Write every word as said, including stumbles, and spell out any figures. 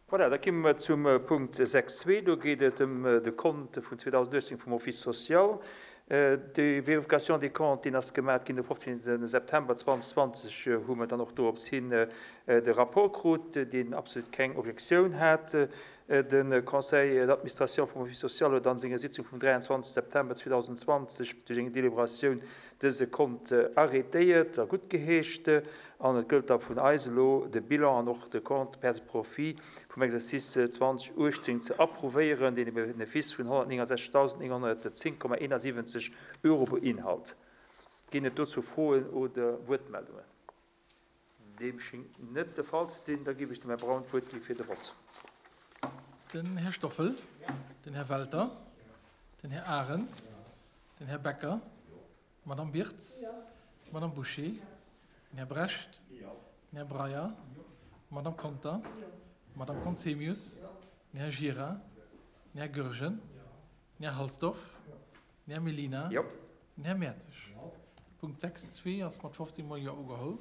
Voilà, da komme mer zum Punkt sechs zwee. Do geet et ëm de Kont vun zweedausenduechtzéng vum Office social. Déi Vérification des comptes, déi ass gemaach ginn de fofzéngte September zweedausendzwanzeg, hu mer dann och dorops hin de Rapport krut, deen absolut keng Objektioun hat. De Conseil d'administration vum Office social huet an senger Sitzung vum dräianzwanzegste September zweedausendzwanzeg duerch eng Deliberatioun dëse Kont arrêtéiert a guttgeheescht. An et gëllt da vun eis elo, de Bilan an och de Compte pertes et profits vum Exercice zweedausenduechtzéng ze approuvéieren, deen e Benefice vun honnertnéngensechzegdausendnénghonnertzéng Komma eenasiwwenzeg Euro beinhalt. Ginn et dozou Froen oder Wuertmeldungen? Deem schéngt net de Fall ze sinn. Da ginn ech dem Här Braun d'Wuert gi fir de Vott. Den Här Stoffel, den Här Welter, den Här Arendt, den Här Becker, d'Madame Birtz, d'Madame Bouché, den Här Brecht, den Här Breyer, d'Madame Conter, d'Madame Conzemius, den Här Gira, den Här Goergen, den Här Halsdorf, den Här Mellina, den Här Mertzig. Punkt sechs zwee ass mat fofzéng Mol Jo ugeholl.